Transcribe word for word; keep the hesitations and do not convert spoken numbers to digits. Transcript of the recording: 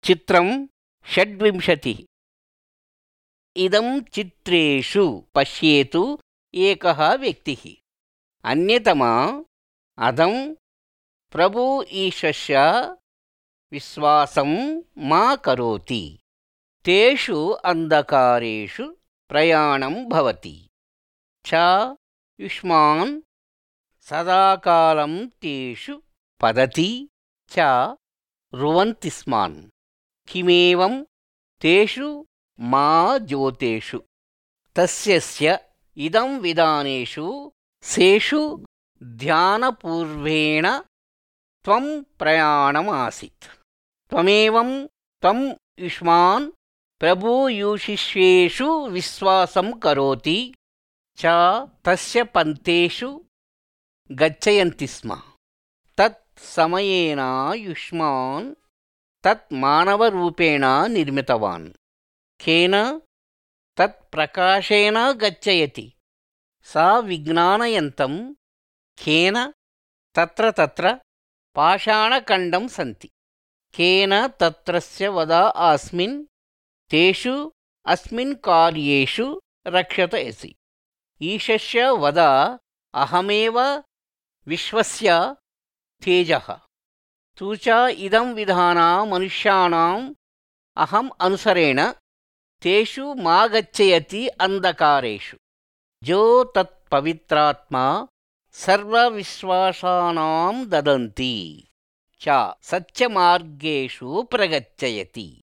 चित्रं षड्विंशतिः। इदं चित्रेषु पश्येतु एकः व्यक्तिः। अन्यतमा अदं प्रभु ईशस्य विश्वासं मा करोति। तेषु अन्धकारेषु प्रयाणं भवति च युष्मान् सदाकालं तेषु पतति च रुवन्ति स्मान्। किमेवं तेषु मा ज्योतेषु तस्यस्य इदं विधानेषु सेषु ध्यानपूर्वेण त्वं प्रयाणमासीत्। त्वमेवं त्वं युष्मान् प्रभुयूशिष्येषु विश्वासं करोति च तस्य पन्थेषु गच्छन्ति स्म। तत् समयेन युष्मान् तत् मानवरूपेण निर्मितवान्। केन तत् प्रकाशेन गच्छयति सा विज्ञानयन्तं केन तत्र तत्र पाषाणखण्डं सन्ति। केन तत्रस्य वदा अस्मिन् तेषु अस्मिन् कार्येषु रक्षयसि। ईशस्य वदा अहमेव विश्वस्य तेजः। तु च इदं विधाना मनुष्याणाम् अहम् अनुसरेण तेषु मा गच्छयति अन्धकारेषु। जो तत् पवित्रात्मा सर्वविश्वासानां ददन्ति च सत्यमार्गेषु प्रगच्छयति।